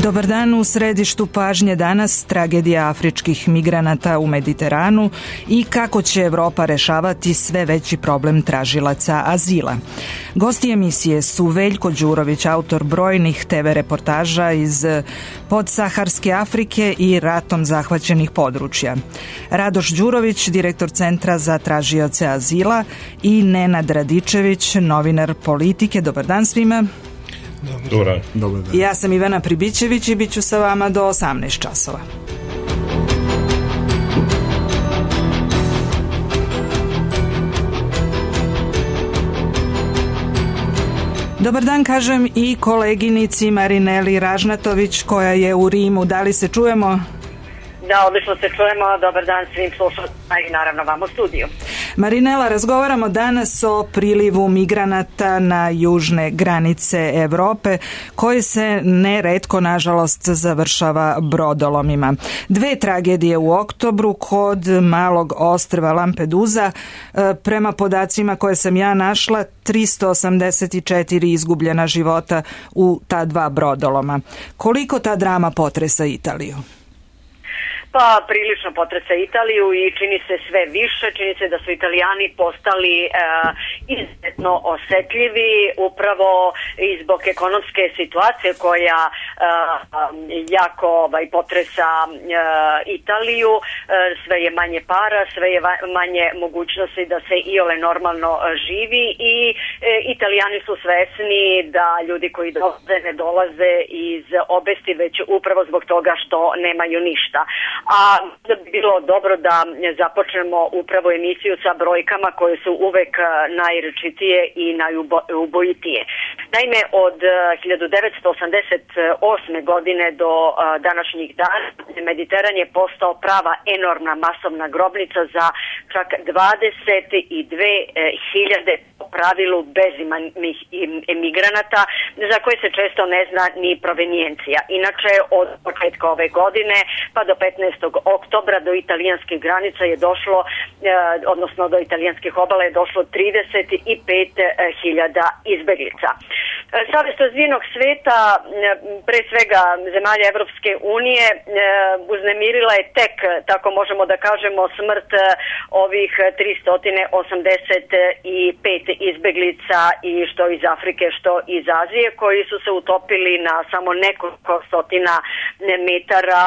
Dobar dan, u središtu pažnje danas tragedija afričkih migranata u Mediteranu i kako će Evropa rešavati sve veći problem tražilaca azila. Gosti emisije su Veljko Đurović, autor brojnih TV reportaža iz podsaharske Afrike i ratom zahvaćenih područja. Radoš Đurović, direktor Centra za tražioce azila i Nenad Radičević, novinar Politike. Dobar dan svima. Dobar dan. Ja sam Ivana Pribićević i bit ću sa vama do 18 časova. Dobar dan kažem i koleginici Marineli Ražnatović koja je u Rimu. Da li se čujemo? Da, odlično se čujemo. Dobar dan svim slušalcima i naravno vam u studiju. Marinela, razgovaramo danas o prilivu migranata na južne granice Evrope, koji se neretko, nažalost, završava brodolomima. Dve tragedije u oktobru kod malog ostrva Lampedusa. Prema podacima koje sam ja našla, 384 izgubljena života u ta dva brodoloma. Koliko ta drama potresa Italiju? Pa prilično potresa Italiju i čini se sve više, čini se da su Italijani postali izuzetno osetljivi upravo i zbog ekonomske situacije koja jako potresa Italiju. Sve je manje para, sve je manje mogućnosti da se iole normalno živi i Italijani su svesni da ljudi koji dolaze ne dolaze iz obesti, već upravo zbog toga što nemaju ništa. A da bi bilo dobro da započnemo upravo emisiju sa brojkama koje su uvek najrečitije i najubojitije. Naime, od 1988. godine do današnjih dana Mediteran je postao prava enormna masovna grobnica za čak 22.000 po pravilu bezimanih emigranata za koje se često ne zna ni provenijencija. Inače, od početka ove godine pa do 15. oktobra do italijanskih granica je došlo, odnosno do italijanskih obala je došlo 35.000 izbeglica. Savez razvijenog sveta, pre svega zemalja Evropske unije, uznemirila je tek, tako možemo da kažemo, smrt ovih 385 izbeglica i što iz Afrike, što iz Azije, koji su se utopili na samo nekoliko stotina metara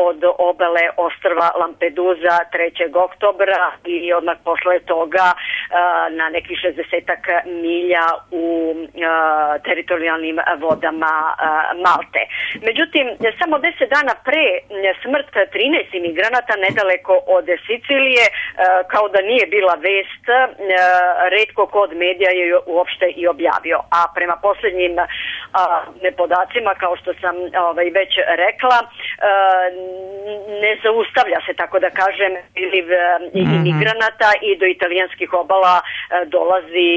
od obale ostrva Lampedusa 3. oktobra i odmah posle toga na nekih 60 milja u teritorijalnim vodama Malte. Međutim, samo 10 dana pre smrt 13 imigranata nedaleko od Sicilije, kao da nije bila vest, retko kod medija je uopšte i objavio. A prema posljednjim podacima, kao što sam već rekla, ne zaustavlja se, tako da kažem, priliv imigranata i do italijanskih obala dolazi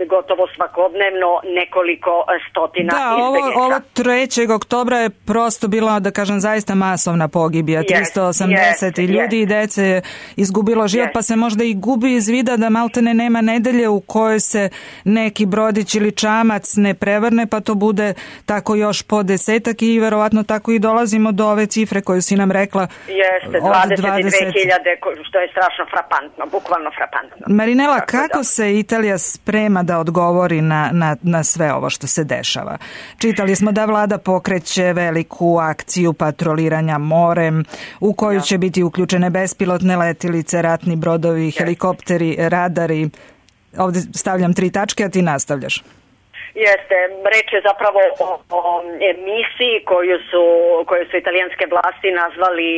gotovo svakodnevno nekoliko stotina izbeglica. Ovo 3. oktobra je prosto bila, da kažem, zaista masovna pogibija. 380 ljudi i dece je izgubilo život, pa se možda i gubi iz vida da maltene nema nedelje u kojoj se neki brodić ili čamac ne prevrne, pa to bude tako još po desetak i verovatno tako i dolazimo do ove cifre koju si nam rekla. Jeste, 22.000, što je strašno frapantno, bukvalno frapantno. Marinela, kako se Italija sprema da odgovori na sve ovo što se dešava? Čitali smo da vlada pokreće veliku akciju patroliranja morem u koju će biti uključene bespilotne letilice, ratni brodovi, helikopteri, radari. Ovdje stavljam 3 tačke, a ti nastavljaš. Jeste, reč je zapravo o misiji koju su italijanske vlasti nazvali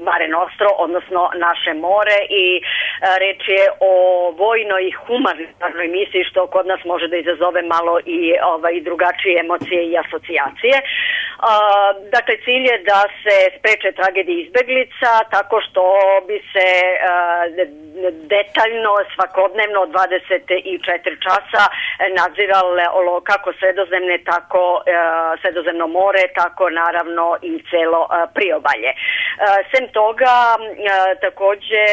Mare Nostro, odnosno naše more, i reč je o vojnoj i humanitarnoj misiji, što kod nas može da izazove malo i drugačije emocije i asocijacije. Dakle, cilj je da se spreče tragedije izbeglica tako što bi se detaljno, svakodnevno, 24 časa nadziralo kako Sredozemno more, tako naravno i celo priobalje. Sem toga, takođe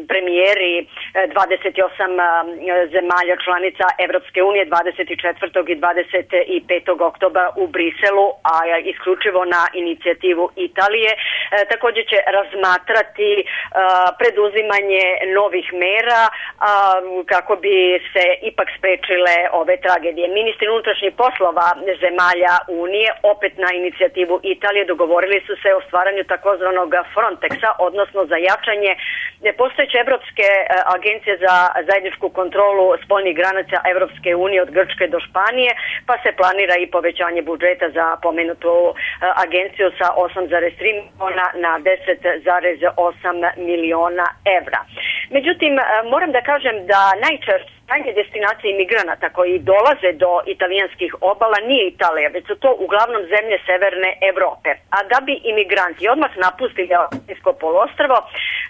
premijeri 28 zemalja članica Evropske unije 24. i 25. oktobra u Briselu, a isključivo na inicijativu Italije, takođe će razmatrati preduzimanje novih mera kako bi se ipak sprečile ove tragedije. Ministri unutrašnjih poslova zemalja Unije, opet na inicijativu Italije, dogovorili su se o stvaranju takozvanog Frontexa, odnosno za jačanje postojeće Evropske agencije za zajedničku kontrolu spoljnih granica Evropske unije od Grčke do Španije, pa se planira i povećanje budžeta za pomenutu agenciju sa 8,3 miliona na 10,8 miliona evra. Međutim, moram da kažem da najčešće destinacije imigranata koji dolaze do italijanskih obala nije Italija, već su to uglavnom zemlje severne Evrope. A da bi imigranti odmah napustili Adriatsko poluostrvo,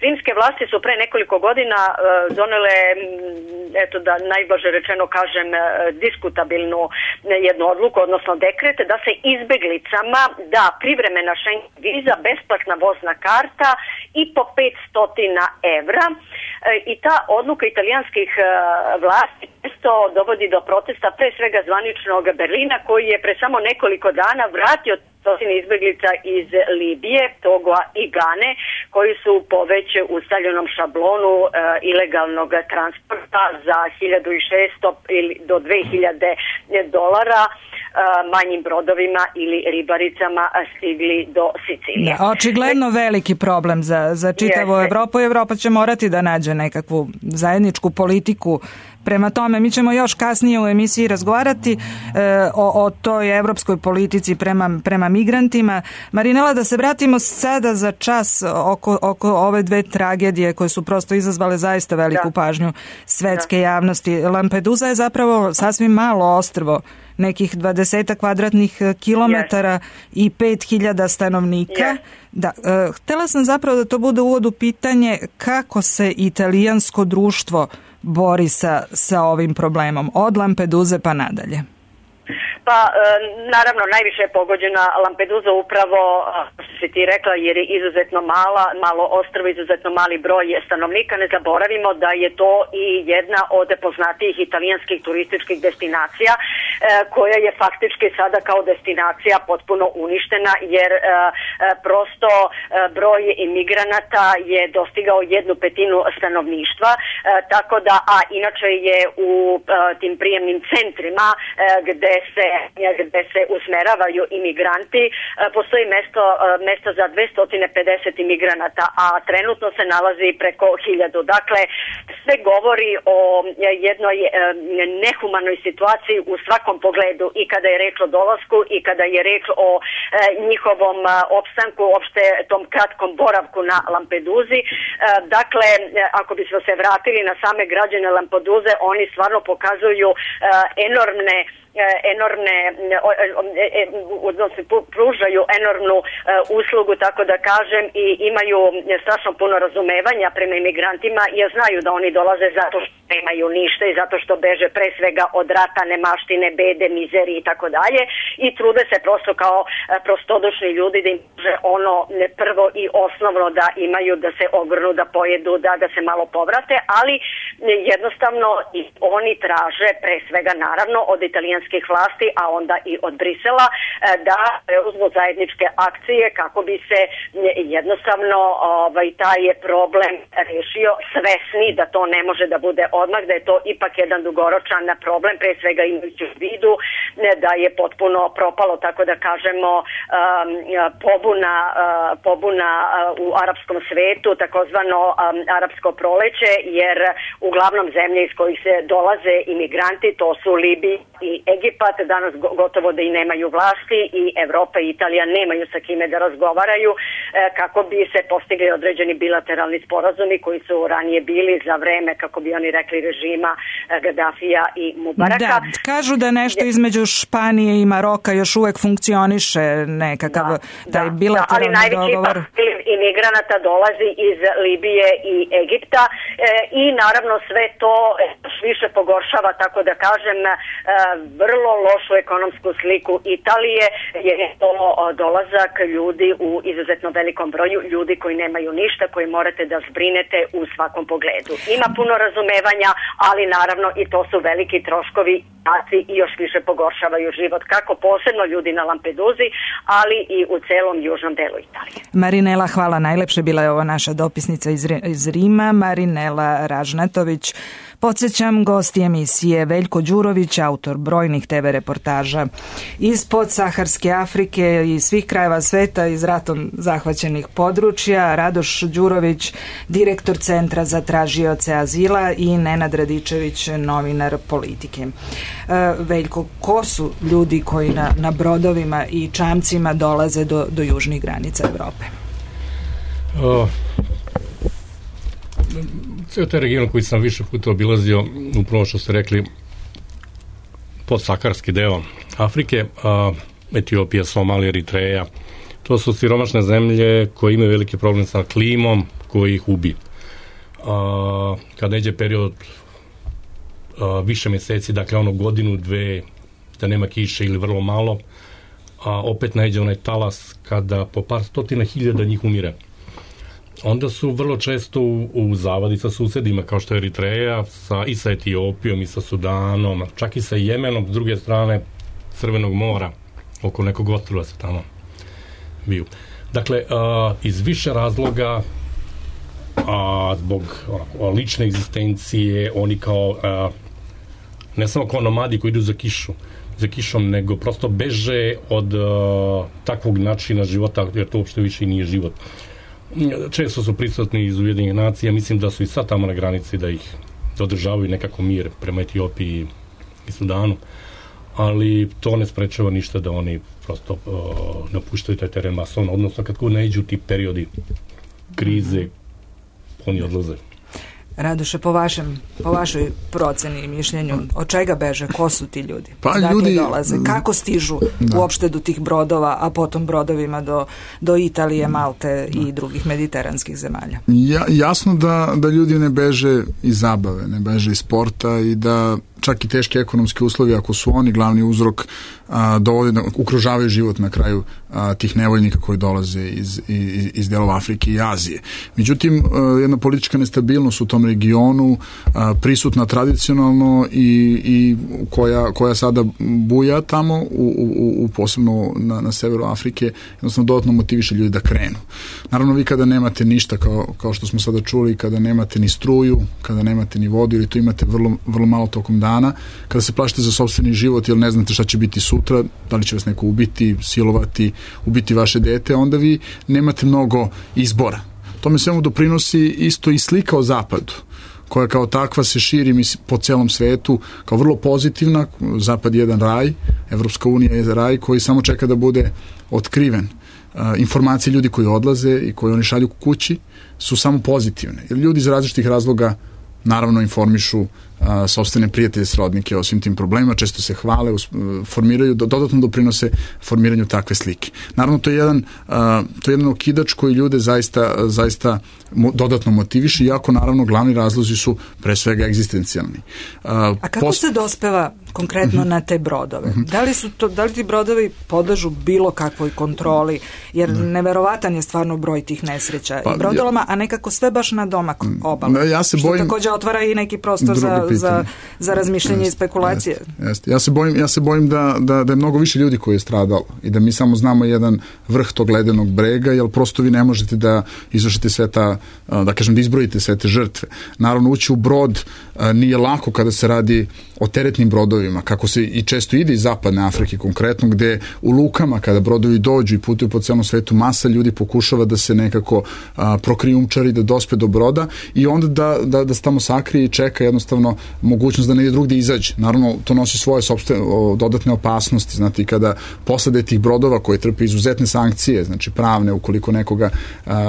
rimske vlasti su pre nekoliko godina donele, eto da najblaže rečeno kažem, diskutabilnu jednu odluku, odnosno dekret, da se izbeglicama da privremena Schengen viza, besplatna vozna karta i po 500 evra. I ta odluka italijanskih vlasti često dovodi do protesta, pre svega zvaničnog Berlina, koji je pre samo nekoliko dana vratio stotine izbeglica iz Libije, Togoa i Gane, koji su po već ustaljenom šablonu ilegalnog transporta za 1.600 ili do 2.000 dolara manjim brodovima ili ribaricama stigli do Sicilije. Da, očigledno veliki problem za čitavu Evropu i Evropa će morati da nađe nekakvu zajedničku politiku. Prema tome, mi ćemo još kasnije u emisiji razgovarati o toj evropskoj politici prema migrantima. Marinela, da se vratimo sada za čas oko ove dve tragedije koje su prosto izazvale zaista veliku pažnju svetske javnosti. Lampedusa je zapravo sasvim malo ostrvo, nekih 20 kvadratnih kilometara i 5.000 stanovnika. Da, htela sam zapravo da to bude uvod u pitanje kako se italijansko društvo bori sa ovim problemom, od Lampeduze pa nadalje. Pa, naravno, najviše je pogođena Lampedusa upravo, što si ti rekla, jer je izuzetno malo ostrvo, izuzetno mali broj stanovnika. Ne zaboravimo da je to i jedna od poznatijih italijanskih turističkih destinacija, koja je faktički sada kao destinacija potpuno uništena, jer prosto broj imigranata je dostigao 1/5 stanovništva, tako da, a inače je u tim prijemnim centrima gde se usmeravaju imigranti, postoji mesto za 250 imigranata, a trenutno se nalazi preko 1000. Dakle, sve govori o jednoj nehumanoj situaciji u svakom pogledu, i kada je reč o dolasku i kada je reč o njihovom opstanku, uopšte tom kratkom boravku na Lampeduzi. Dakle, ako bismo se vratili na same građane Lampeduze, oni stvarno pokazuju enormne odnosno pružaju enormnu uslugu, tako da kažem, i imaju strašno puno razumevanja prema imigrantima, jer znaju da oni dolaze zato što nemaju ništa i zato što beže pre svega od rata, nemaštine, bede, mizerije i tako dalje, i trude se prosto kao prostodušni ljudi da im može ono prvo i osnovno da imaju, da se ogrnu, da pojedu, da se malo povrate, ali jednostavno i oni traže pre svega naravno od italijanskih vlasti, a onda i od Brisela, da preuzmu zajedničke akcije kako bi se jednostavno taj problem rešio, svesni da to ne može da bude odmah, da je to ipak jedan dugoročan problem, pre svega imajući u vidu da je potpuno propalo, tako da kažemo, pobuna u arapskom svetu, takozvano arapsko proleće, jer uglavnom zemlje iz kojih se dolaze imigranti, to su Libija i Egipat, danas gotovo da i nemaju vlasti, i Evropa i Italija nemaju sa kime da razgovaraju kako bi se postigli određeni bilateralni sporazumi koji su ranije bili za vreme, kako bi oni rekli, režima Gaddafija i Mubaraka. Da, kažu da nešto između Španije i Maroka još uvek funkcioniše nekakav taj bilateralni dogovor. imigranata dolazi iz Libije i Egipta i naravno sve to više pogoršava, tako da kažem, vrlo lošu ekonomsku sliku Italije, jer je to dolazak ljudi u izuzetno velikom broju, ljudi koji nemaju ništa, koji morate da zbrinete u svakom pogledu. Ima puno razumevanja, ali naravno i to su veliki troškovi i još više pogoršavaju život, kako posebno ljudi na Lampeduzi, ali i u celom južnom delu Italije. Marinela, hvala najlepše. Bila je ovo naša dopisnica iz Rima, Marinela Ražnatović. Podsjećam, gost emisije Veljko Đurović, autor brojnih TV reportaža iz podsaharske Afrike i svih krajeva sveta, iz ratom zahvaćenih područja, Radoš Đurović, direktor Centra za tražioce azila i Nenad Radičević, novinar Politike. Veljko, ko su ljudi koji na brodovima i čamcima dolaze do južnih granica Evrope? Cijel taj region koji sam više puta obilazio, upravo što ste rekli, podsaharski deo Afrike, Etiopija, Somalija, Eritreja, to su siromašne zemlje koje imaju veliki problem sa klimom koji ih ubi. Kad neđe period više meseci, dakle godinu, dve, da nema kiše ili vrlo malo, opet neđe onaj talas kada po par stotina hiljada njih umire. Onda su vrlo često u zavadi sa susedima, kao što je Eritreja, i sa Etiopijom, i sa Sudanom, čak i sa Jemenom, s druge strane Crvenog mora, oko nekog ostrva se tamo biju. Dakle, iz više razloga, zbog lične egzistencije, oni kao, ne samo kao nomadi koji idu za kišom, nego prosto beže od takvog načina života, jer to uopšte više i nije život. Često su prisutni iz Ujedinjenih nacija, mislim da su i sad tamo na granici da ih održavaju nekako mir prema Etiopiji i Sudanu, ali to ne sprečava ništa da oni prosto napuštaju taj teren masovno, odnosno kad naiđu ti periodi krize, oni odlaze. Radoše, po vašoj proceni i mišljenju, od čega beže, ko su ti ljudi? Pa ljudi dolaze, kako stižu uopšte do tih brodova, a potom brodovima do Italije, Malte i drugih mediteranskih zemalja? Jasno da ljudi ne beže iz zabave, ne beže iz sporta i da čak i teški ekonomski uslovi, ako su oni glavni uzrok, dovode da ukružavaju život na kraju tih nevoljnika koji dolaze iz delova Afrike i Azije. Međutim, jedna politička nestabilnost u tom regionu, prisutna tradicionalno i koja sada buja tamo, posebno na severu Afrike, jednostavno dodatno motiviše ljudi da krenu. Naravno, vi kada nemate ništa, kao što smo sada čuli, kada nemate ni struju, kada nemate ni vodu, ili to imate vrlo malo tokom dana, kada se plašite za sopstveni život jer ne znate šta će biti sutra, da li će vas neko ubiti, silovati, ubiti vaše dete, onda vi nemate mnogo izbora. Tome svemu doprinosi isto i slika o zapadu, koja kao takva se širi po celom svetu kao vrlo pozitivna. Zapad je jedan raj, Evropska unija je raj koji samo čeka da bude otkriven. Informacije ljudi koji odlaze i koji oni šalju kući su samo pozitivne, jer ljudi iz različitih razloga naravno informišu sopstvene prijatelje, srodnike o svim tim problemima, često se hvale, formiraju, dodatno doprinose formiranju takve slike. Naravno, to je jedan okidač koji ljude zaista dodatno motiviše, iako naravno glavni razlozi su pre svega egzistencijalni. A kako se dospeva konkretno na te brodove? Da li ti brodovi podležu bilo kakvoj kontroli? Jer neverovatan je stvarno broj tih nesreća i brodolama, a nekako sve baš na domak obale. Što također otvara i neki prostor za razmišljanje i spekulacije. Ja se bojim da je mnogo više ljudi koji je stradalo i da mi samo znamo jedan vrh tog ledenog brega, jer prosto vi ne možete da izvršite sve da izbrojite sve te žrtve. Naravno, ući u brod nije lako kada se radi o teretnim brodovima, kako se i često ide iz zapadne Afrike konkretno, gde u lukama kada brodovi dođu i putuju po celom svetu, masa ljudi pokušava da se nekako prokrijumčari, da dospe do broda i onda da se tamo sakrije i čeka jednostavno mogućnost da negdje drugdje izađe. Naravno, to nosi svoje dodatne opasnosti, znate, i kada posade tih brodova koji trpe izuzetne sankcije, znači pravne, ukoliko nekoga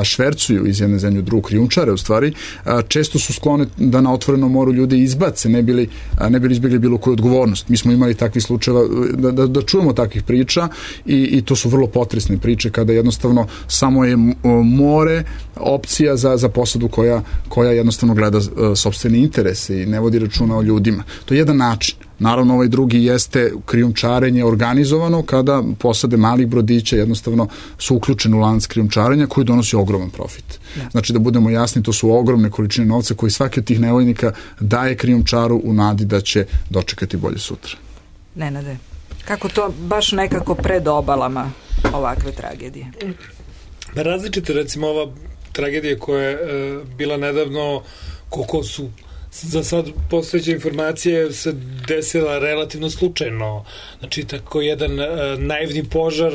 švercuju iz jedne zemlje u drugu, krijumčare u stvari, često su sklone da na otvorenom moru ljudi izbace, ne bili izbjegli bilo koju odgovornost odgovornost. Mi smo imali takvih slučajeva da čujemo takvih priča i to su vrlo potresne priče kada jednostavno samo je more opcija za posadu koja jednostavno gleda sopstvene interese i ne vodi računa o ljudima. To je jedan način. Naravno, ovaj drugi jeste krijumčarenje organizovano kada posade malih brodića jednostavno su uključeni u lanac krijumčarenja koji donosi ogroman profit. Znači, da budemo jasni, to su ogromne količine novca koji svaki od tih nevojnika daje krijumčaru u nadi da će dočekati bolje sutra. Nenade, kako to baš nekako pred obalama ovakve tragedije? Različite, recimo, ova tragedija koja je bila nedavno, koliko su za sad postojeće informacije se desila relativno slučajno. Znači, tako jedan naivni požar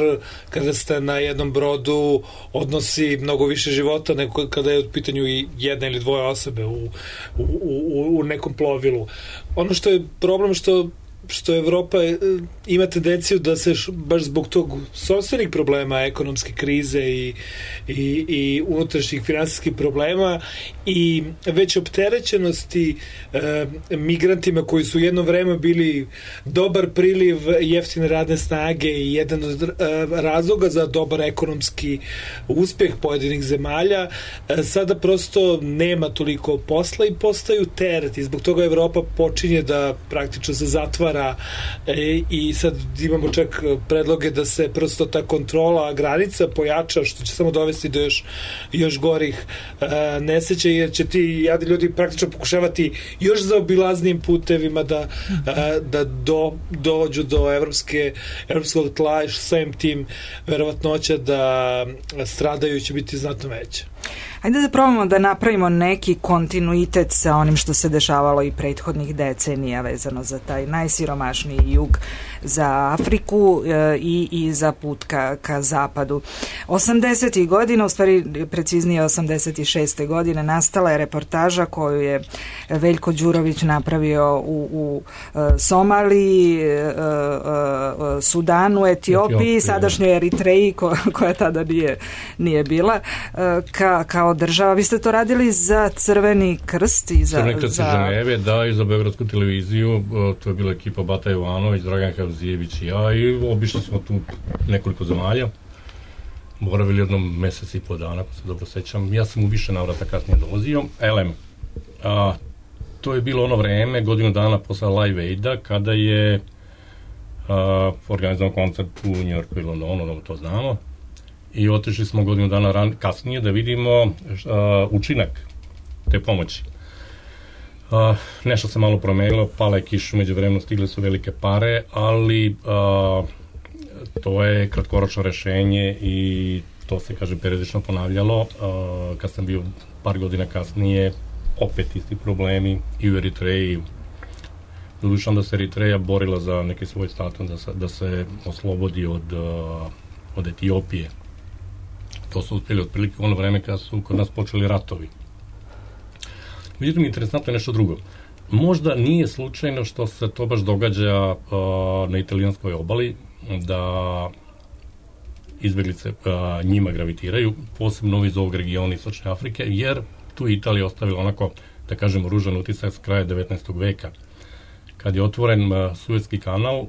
kada ste na jednom brodu odnosi mnogo više života nego kada je u pitanju i jedna ili dvoje osobe u nekom plovilu. Ono što je problem što Evropa ima tendenciju da se baš zbog tog sopstvenih problema, ekonomske krize i unutrašnjih finansijskih problema i već opterećenosti migrantima koji su jedno vreme bili dobar priliv jeftine radne snage i jedan od razloga za dobar ekonomski uspeh pojedinih zemalja, sada prosto nema toliko posla i postaju teret i zbog toga Evropa počinje da praktično se zatvara i sad imamo čak predloge da se prosto ta kontrola granica pojača, što će samo dovesti do još gorih nesreća, jer će ti jadni ljudi praktično pokušavati još zaobilaznijim putevima da dođu do evropskog tla i samim tim verovatnoća da stradaju će biti znatno veća. Ajde da probamo da napravimo neki kontinuitet sa onim što se dešavalo i prethodnih decenija vezano za taj najsiromašniji jug, za Afriku i za put ka zapadu. 80. godina, u stvari preciznije 86. godine, nastala je reportaža koju je Veljko Đurović napravio u Somaliji, Sudanu, Etiopiji, sadašnjoj Eritreji koja tada nije bila kao država. Vi ste to radili za Crveni krst i za Crveni krst Ženeve, da, i za Beogradsku televiziju. To je bila ekipa Bata Jovanović, Dragan Havzijević i ja, i obišli smo tu nekoliko zemalja. Boravili jednom mesec i po dana, ako se dobro sećam. Ja sam u više navrata kasnije dolazio. To je bilo ono vreme, godinu dana posle Live Aida, kada je organizovan koncert u Njujorku i Londonu, to znamo. I otišli smo godinu dana kasnije da vidimo učinak te pomoći. Nešto se malo promenilo, pala je kiša, među vremenu stigle su velike pare, ali to je kratkoročno rešenje i to se, kažem, periodično ponavljalo. Kad sam bio par godina kasnije, opet isti problemi i u Eritreji. Doduše onda se Eritreja borila za neki svoj status, da se oslobodi od Etiopije. To su uspjeli otprilike u ono vreme kada su kod nas počeli ratovi. Međutim, interesantno je nešto drugo. Možda nije slučajno što se to baš događa na italijanskoj obali, da izbeglice njima gravitiraju, posebno iz ovog regiona Istočne Afrike, jer tu Italija ostavila onako, da kažemo, ružan utisak s kraja 19. veka. Kad je otvoren Suetski kanal,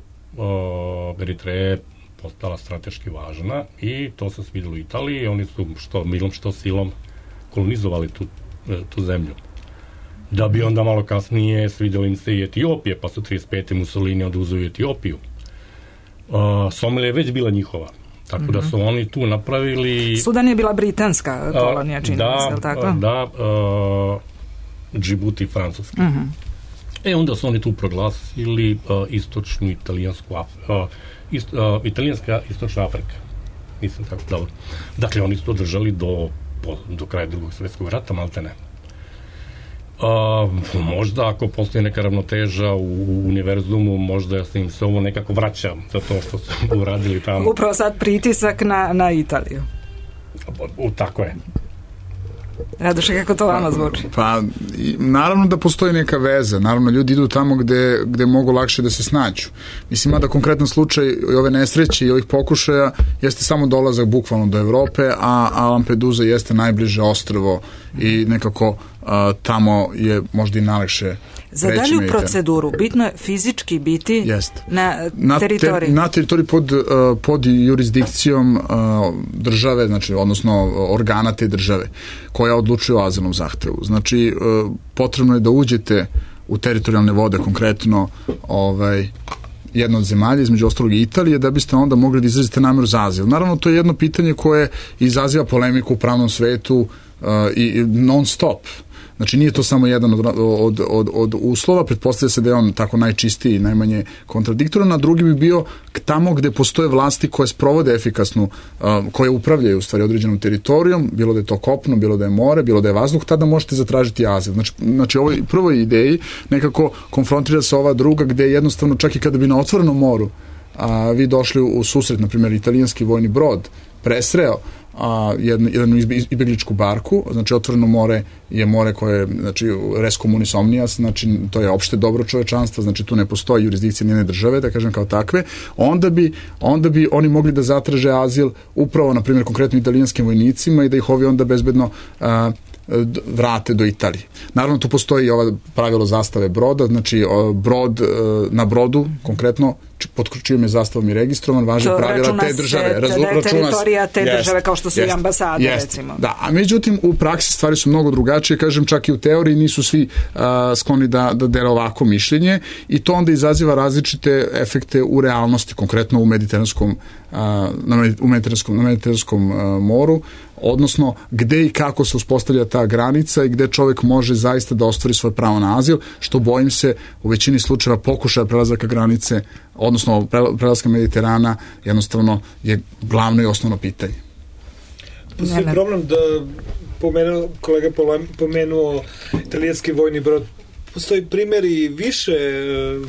Eritreja je postala strateški važna i to se svidelo Italiji. Oni su što milom, što silom kolonizovali tu zemlju. Da bi onda malo kasnije svidjeli im se i Etiopije, pa su 35. Mussolini oduzeo Etiopiju. Somalija je već bila njihova. Tako da su oni tu napravili... Sudan je bila britanska kolonija, čini se, tako? Da, Džibuti francuski. Onda su oni tu proglasili istočnu italijansku italijanska istočna Afrika. Mislim tako dobro. Dakle, oni su to držali do kraja Drugog svjetskog rata, malte ne. Možda ako postoji neka ravnoteža u univerzumu, možda se im se ovo nekako vraća za to što su uradili tamo. Upravo sad pritisak na Italiju. Tako je. Radoše, kako to vama zvuči? Pa, naravno da postoji neka veza. Naravno, ljudi idu tamo gde mogu lakše da se snađu. Mislim, mada konkretan slučaj i ove nesreće i ovih pokušaja jeste samo dolazak bukvalno do Evrope, a Lampedusa jeste najbliže ostrvo i nekako tamo je možda i najlakše Za dalju proceduru bitno je fizički biti na teritoriji. Na teritoriji pod jurisdikcijom države, znači, odnosno organa te države, koja odlučuje o azilnom zahtevu. Znači, potrebno je da uđete u teritorijalne vode, konkretno jedna od zemalja, između ostalog i Italije, da biste onda mogli da izrazite nameru za azil. Naravno, to je jedno pitanje koje izaziva polemiku u pravnom svetu i non stop. Znači, nije to samo jedan od uslova, pretpostavlja se da je on tako najčistiji i najmanje kontradiktoran, a drugi bi bio tamo gde postoje vlasti koje sprovode efikasnu, koje upravljaju u stvari određenom teritorijom, bilo da je to kopno, bilo da je more, bilo da je vazduh, tada možete zatražiti azil. Znači ovoj prvoj ideji nekako konfrontira se ova druga, gde jednostavno čak i kada bi na otvorenom moru vi došli u susret, na primjer, italijanski vojni brod presreo jednu izbegličku barku, znači otvoreno more je more koje, znači res communis omnias, znači to je opšte dobro čovečanstva, znači tu ne postoji jurisdikcija njene države, da kažem kao takve, onda bi oni mogli da zatraže azil upravo, na primjer, konkretno italijanskim vojnicima i da ih ovi onda bezbedno vrate do Italije. Naravno, tu postoji ova pravilo zastave broda, znači brod na brodu, konkretno, pod čijom je zastavom i registrovan, važi pravila te države. Da je teritorija te države, kao što su i ambasade, recimo. Da, a međutim, u praksi stvari su mnogo drugačije, kažem, čak i u teoriji nisu svi skloni da dele ovako mišljenje i to onda izaziva različite efekte u realnosti, konkretno u mediteranskom moru, odnosno gde i kako se uspostavlja ta granica i gde čovjek može zaista da ostvari svoje pravo na azil, što bojim se u većini slučajeva pokušaja prelazaka granice, odnosno prelaska Mediterana, jednostavno je glavno i osnovno pitanje. Postoji problem da kolega pomenuo italijanski vojni brod. Postoji primjeri više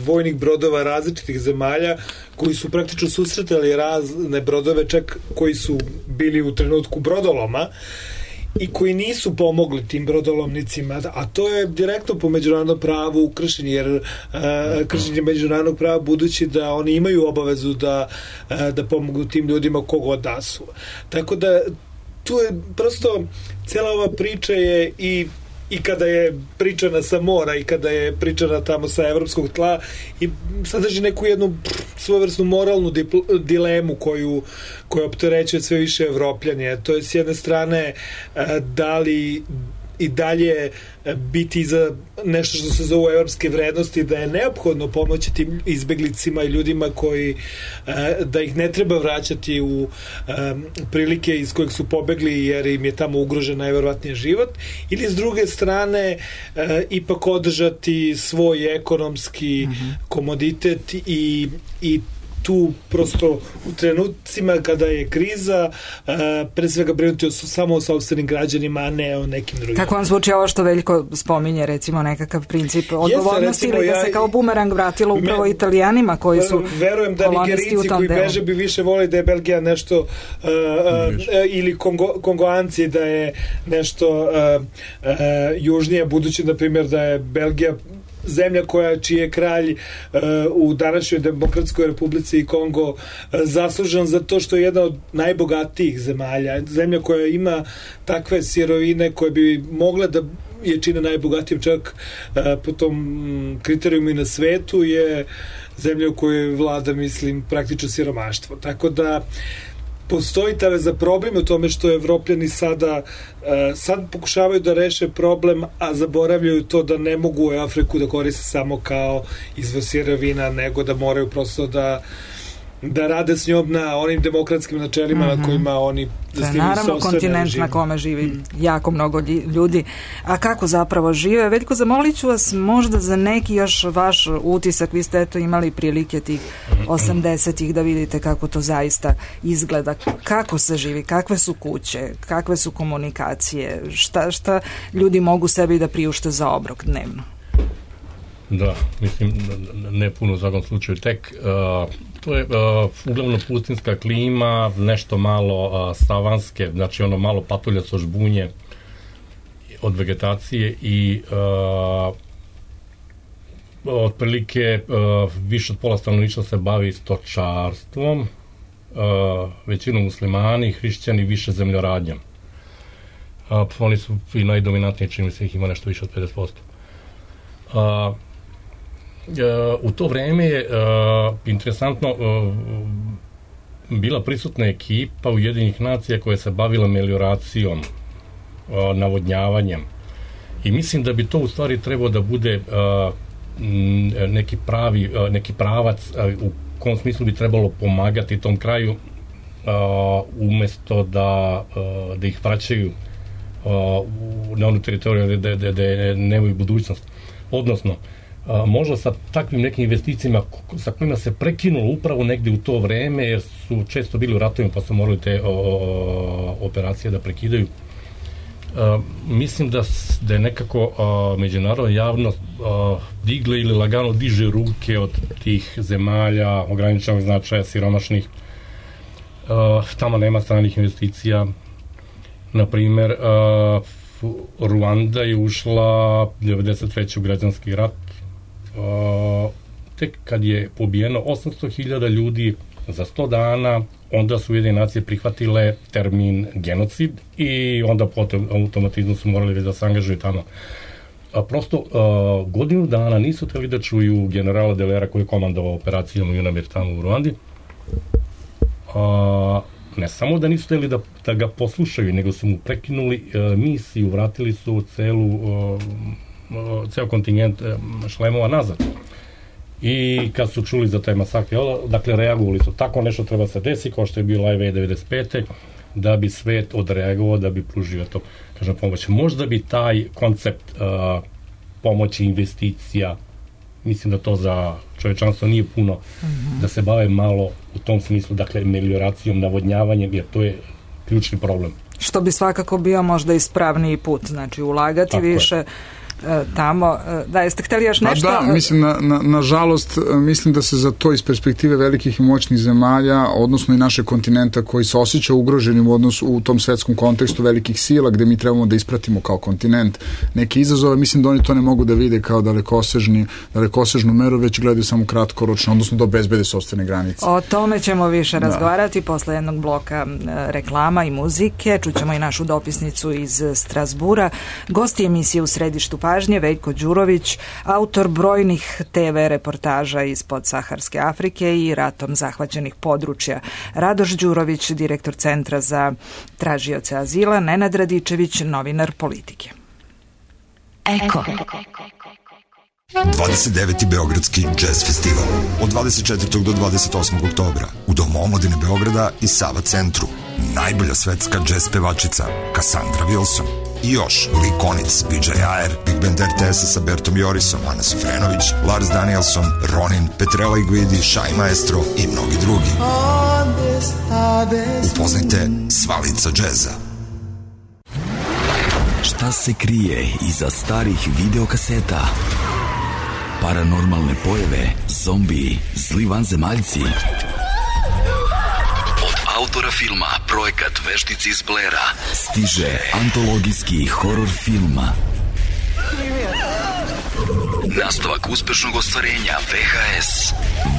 vojnih brodova različitih zemalja koji su praktično susretali razne brodove, čak koji su bili u trenutku brodoloma i koji nisu pomogli tim brodolomnicima, a to je direktno po međunarodnom pravu kršenje, jer kršenje međunarodnog prava, budući da oni imaju obavezu da pomognu tim ljudima kogod da su. Tako da tu je prosto cijela ova priča je i kada je pričana sa mora i kada je pričana tamo sa evropskog tla i sadrži neku jednu svojevrsnu moralnu dilemu koju opterećuje sve više Evropljanje. To je s jedne strane da li i dalje biti za nešto što se zove evropske vrednosti, da je neophodno pomoći tim izbeglicima i ljudima koji da ih ne treba vraćati u prilike iz kojih su pobegli jer im je tamo ugrožen najverovatnije život, ili s druge strane ipak održati svoj ekonomski komoditet i tu prosto u trenucima kada je kriza pre svega brinuti samo o sopstvenim građanima, a ne o nekim drugim. Kako vam zvuči ovo što Veljko spominje, recimo nekakav princip odgovornosti ili da se kao bumerang vratilo upravo Italijanima koji su verujem da Nigerici koji beže bi više voli da je Belgija nešto ili Kongoanci da je nešto južnije, budući na primjer da je Belgija zemlja čiji je kralj u današnjoj Demokratskoj Republici i Kongo zaslužan za to što je jedna od najbogatijih zemalja. Zemlja koja ima takve sirovine koje bi mogle da je čine najbogatijim, čak po tom kriterijumu i na svetu, je zemlja u kojoj vlada, mislim, praktično siromaštvo. Tako da postoji za problem u tome što Evropljani sad pokušavaju da reše problem, a zaboravljaju to da ne mogu Afriku da koriste samo kao izvor sirovina, nego da moraju prosto da rade s njom na onim demokratskim načelima na kojima oni zasnivaju naravno kontinent na kome živi jako mnogo ljudi. A kako zapravo žive? Veljko, zamolit ću vas možda za neki još vaš utisak. Vi ste imali prilike tih 80-ih da vidite kako to zaista izgleda. Kako se živi? Kakve su kuće? Kakve su komunikacije? Šta ljudi mogu sebi da priušte za obrok dnevno? Da, mislim, ne puno u svakom slučaju. Tek to je uglavnom pustinska klima, nešto malo savanske, znači ono malo patuljasto žbunje od vegetacije i otprilike više od pola stanovništva se bavi stočarstvom, većinom muslimani, hrišćani, više zemljoradnjom. Oni su i najdominantniji, čini mi se ih ima nešto više od 50%. u to vreme je interesantno bila prisutna ekipa Ujedinjenih nacija koja se bavila melioracijom, navodnjavanjem. I mislim da bi to u stvari trebao da bude neki pravac u kom smislu bi trebalo pomagati tom kraju umesto da ih vraćaju na onu teritoriju gde nemaju budućnost. Odnosno, možda sa takvim nekim investicijama sa kojima se prekinulo upravo negde u to vreme, jer su često bili u ratovima pa su morali te operacije da prekidaju. Mislim da je nekako međunarodna javnost digla ili lagano diže ruke od tih zemalja ograničenog značaja, siromašnih. Tamo nema stranih investicija. Naprimer, Ruanda je ušla 93. u građanski rat. Tek kad je pobijeno 800.000 ljudi za 100 dana, onda su Ujedinjene nacije prihvatile termin genocid i onda potom automatizmu su morali da se angažuju tamo. Prosto godinu dana nisu hteli da čuju generala Delera koji je komandovao operacijom UNAMIR tamo u Ruandi. Ne samo da nisu hteli da ga poslušaju, nego su mu prekinuli misiju, vratili su ceo kontingent šlemova nazad. I kad su čuli za taj masakr, dakle, reagovali su. Tako nešto treba se desi, kao što je bio Live Aid 95. da bi svet odreagovao, da bi pružio to, kažem, pomoć. Možda bi taj koncept pomoći, investicija, mislim da to za čovečanstvo nije puno, da se bave malo u tom smislu, dakle, melioracijom, navodnjavanjem, jer to je ključni problem. Što bi svakako bio možda ispravniji put, znači ulagati tako više tamo. Da, jeste hteli još nešto? Da, mislim, nažalost, mislim da se za to iz perspektive velikih i moćnih zemalja, odnosno i naše kontinenta koji se osjeća ugroženim u odnosu u tom svetskom kontekstu velikih sila gde mi trebamo da ispratimo kao kontinent neke izazove, mislim da oni to ne mogu da vide kao dalekosežnu meru, već gledaju samo kratkoročno, odnosno da obezbede sopstvene granice. O tome ćemo više razgovarati posle jednog bloka reklama i muzike. Čućemo i našu dopisnicu iz Strazbura. Gosti emisije U središtu pažnje Veljko Đurović, autor brojnih TV reportaža iz podsaharske Afrike i ratom zahvaćenih područja. Radoš Đurović, direktor Centra za tražioce azila, Nenad Radičević, novinar Politike. Eko. 29. Beogradski jazz festival od 24. do 28. oktobra u Domu omladine Beograda i Sava centru. Najbolja svetska jazz pevačica Cassandra Wilson. I još Likonic, PJ Ayer, Big Band RTS sa Bertom Jorisom, Ana Sofrenović, Lars Danielson, Ronin, Petrella Iguidi, Shai Maestro i mnogi drugi. Upoznajte sva lica džeza. Šta se krije iza starih videokaseta? Paranormalne pojave, zombiji, zli vanzemaljci. Autora filma Projekat Veštici iz Blera stiže antologijski horor film. Nastavak uspešnog ostvarenja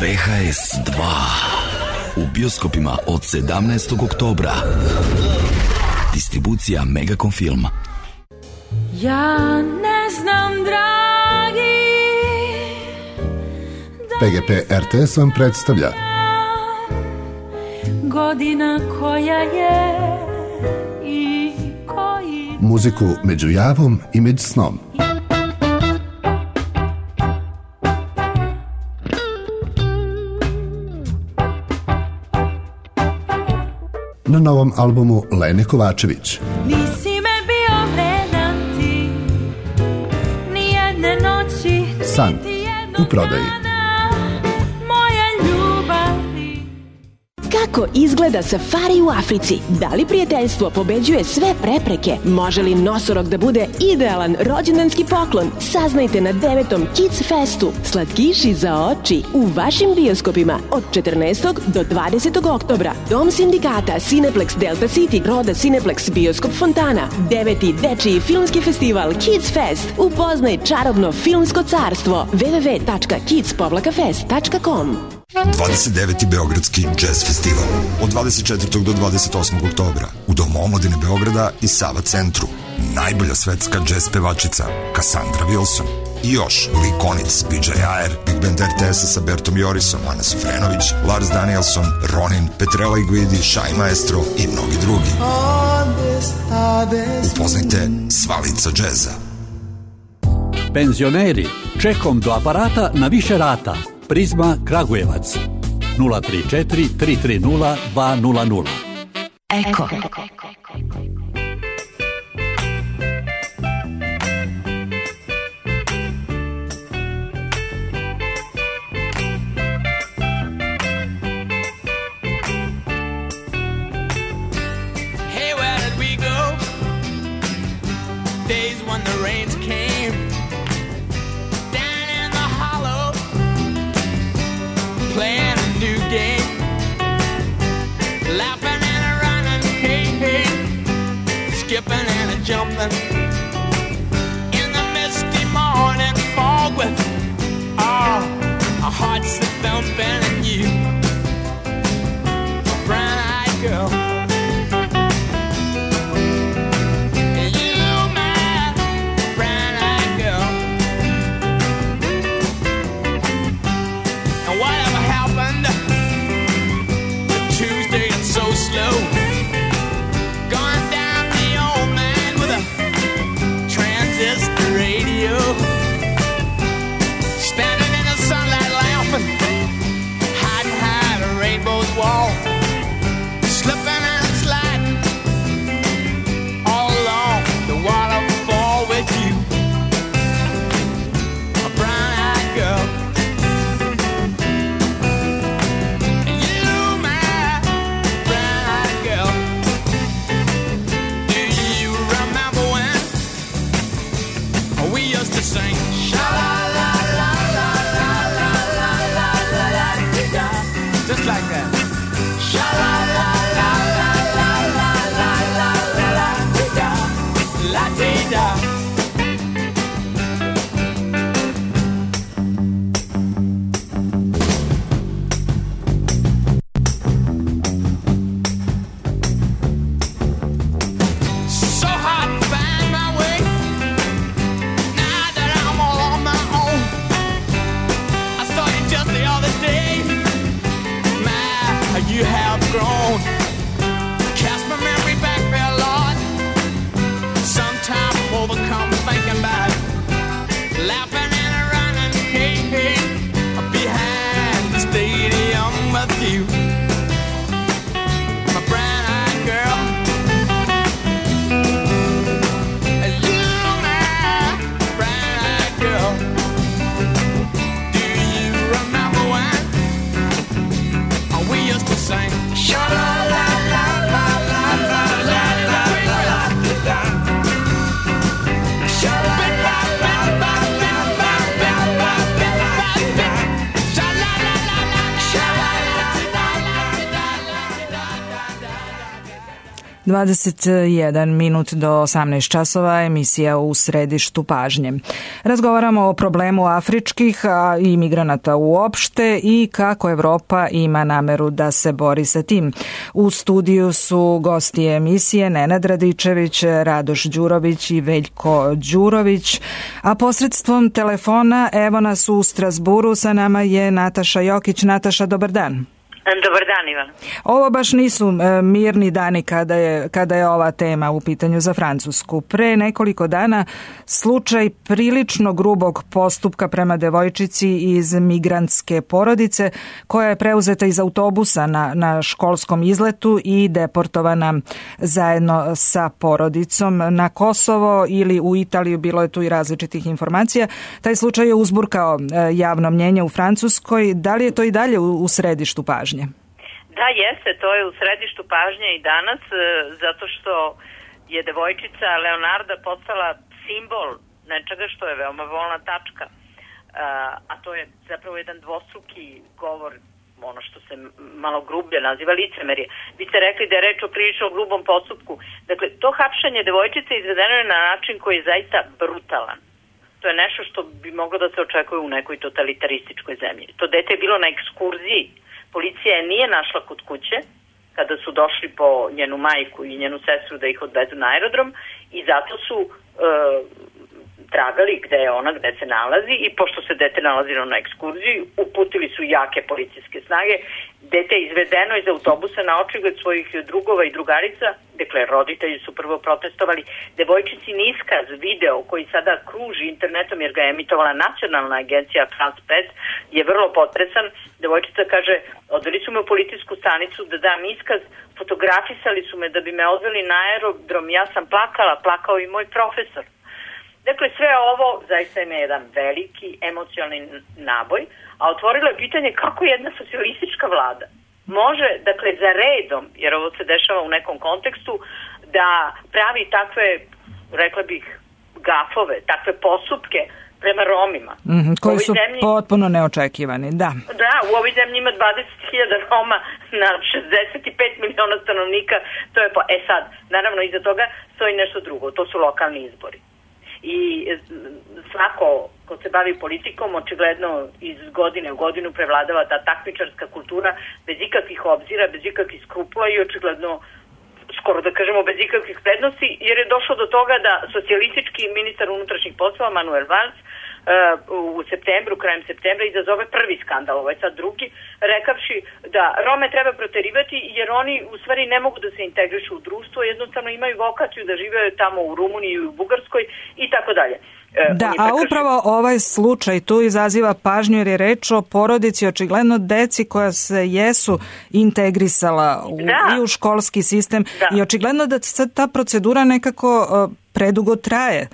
VHS 2 u bioskopima od 17. oktobra. Distribucija Megacom Film. Ja ne znam, dragi, PGP RTS vam predstavlja godina koja je i koji muziku među javom i među snom. Na novom albumu Lene Kovačević. Nisi me bio vredan ti, nijedne noći. San u prodaji. Kako izgleda safari u Africi? Da li prijateljstvo pobeđuje sve prepreke? Može li nosorog da bude idealan rođendanski poklon? Saznajte na 9. Kids Festu. Slatkiši za oči u vašim bioskopima od 14. do 20. oktobra. Dom sindikata Cineplex Delta City, Roda Cineplex Bioskop Fontana. 9. dečiji filmski festival Kids Fest. Upoznaj čarobno filmsko carstvo. www.kids-fest.com 29. Beogradski jazz festival od 24. do 28. oktobra u Domu omladine Beograda i Sava centru. Najbolja svetska jazz pevačica Cassandra Wilson. I još Likonic, PJ Ayer, Big Band RTS sa Bertom Jorisom, Ana Sofrenović, Lars Danielson, Ronin, Petrella Iguidi, Shai Maestro i mnogi drugi. Upoznajte Svalica džeza. Penzioneri, čekom do aparata na više rata. Prizma Kragujevac 034 330 200. Eko. Skipping and a jumping in the misty morning fog with our hearts that thumping and you, a brown-eyed girl. You, my brown-eyed girl. And whatever happened to Tuesday and so slow? Standing in the sunlight laughing, hiding behind a rainbow's wall, slipping and sliding all along the waterfall with you, a brown-eyed girl. You, my brown-eyed girl. Do you remember when we used to sing sha-la-la-la-la-la-la-la-la-la-la-la-la-la, just like that. Sha-la-la-la-la-la-la-la-la-la-la-la-la-la. So hard to find my way now that I'm all on my own. I saw you just the other day. My, you have grown. Cast my memory back there, Lord. Sometimes I'm overcome thinking about it. Laughing and running, hey, hey, behind the stadium with you, my brown-eyed girl. You, my brown-eyed girl. Do you remember when we used to sing sha-la-la-la-la-la-la-la-la-la-la-la? – 21 minut do 18 časova, emisija U središtu pažnje. Razgovaramo o problemu afričkih i migranata uopšte i kako Evropa ima nameru da se bori sa tim. U studiju su gosti emisije Nenad Radičević, Radoš Đurović i Veljko Đurović, a posredstvom telefona evo nas u Strasburu, sa nama je Nataša Jokić. Nataša, dobar dan. Dobar dan, Ivan. Ovo baš nisu mirni dani kada je ova tema u pitanju za Francusku. Pre nekoliko dana slučaj prilično grubog postupka prema devojčici iz migrantske porodice koja je preuzeta iz autobusa na školskom izletu i deportovana zajedno sa porodicom na Kosovo ili u Italiju, bilo je tu i različitih informacija. Taj slučaj je uzburkao javno mnjenje u Francuskoj. Da li je to i dalje u središtu pažnje? Da, jeste, to je u središtu pažnje i danas, zato što je devojčica Leonarda postala simbol nečega što je veoma bolna tačka, a to je zapravo jedan dvostruki govor, ono što se malo grublje naziva licemerje. Vi ste rekli da je reč o prilično grubom postupku. Dakle, to hapšenje devojčice izvedeno je na način koji je zaista brutalan. To je nešto što bi moglo da se očekuje u nekoj totalitarističkoj zemlji. To dete je bilo na ekskurziji. Policija je nije našla kod kuće kada su došli po njenu majku i njenu sestru da ih odvedu na aerodrom i zato su tragali gde je ona, gde se nalazi i pošto se dete nalazilo na ekskurziji, uputili su jake policijske snage. Dete je izvedeno iz autobusa na očigled svojih drugova i drugarica. Dakle, roditelji su prvo protestovali. Devojčicin iskaz, video koji sada kruži internetom jer ga je emitovala nacionalna agencija France 5 je vrlo potresan. Devojčica kaže, odveli su me u policijsku stanicu da dam iskaz, fotografisali su me da bi me odveli na aerodrom, ja sam plakala, plakao i moj profesor. Dakle, sve ovo zaista ima jedan veliki emocionalni naboj, a otvorilo je pitanje kako jedna socijalistička vlada može, dakle, za redom, jer ovo se dešava u nekom kontekstu, da pravi takve, rekla bih, gafove, takve postupke prema Romima. Koji su potpuno neočekivani, da. Da, u ovoj zemlji ima 20.000 Roma na 65 miliona stanovnika, to je sad, naravno iza toga stoji nešto drugo, to su lokalni izbori. I svako ko se bavi politikom očigledno iz godine u godinu prevladava ta takmičarska kultura bez ikakvih obzira, bez ikakvih skrupula i očigledno skoro da kažemo bez ikakvih prednosti, jer je došlo do toga da socijalistički ministar unutrašnjih poslova Manuel Valls u septembru, krajem septembra izazove prvi skandal, ovo je sad drugi, rekavši da Rome treba proterivati jer oni u stvari ne mogu da se integrišu u društvo, jednostavno imaju vokaciju da žive tamo u Rumuniji i u Bugarskoj i tako dalje. Da, a upravo ovaj slučaj tu izaziva pažnju jer je reč o porodici, očigledno deci koja se jesu integrisala i u školski sistem i očigledno da sad ta procedura nekako predugo traje.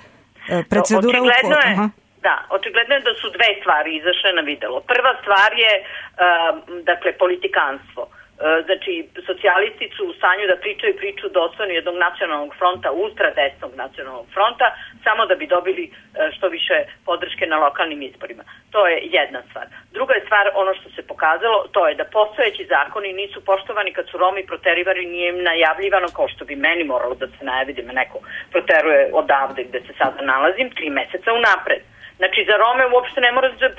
Očigledno je da su dve stvari izašle na videlo. Prva stvar je dakle politikanstvo. Znači, socijalisti su u stanju da pričaju priču dostojnu jednog nacionalnog fronta, ultradesnog nacionalnog fronta, samo da bi dobili što više podrške na lokalnim izborima. To je jedna stvar. Druga je stvar, ono što se pokazalo, to je da postojeći zakoni nisu poštovani kad su Romi proterivani, nije im najavljivano, kao što bi meni moralo da se najavi da me neko proteruje odavde gde se sada nalazim, 3 meseca unapred. Znači, za Rome uopšte ne mora da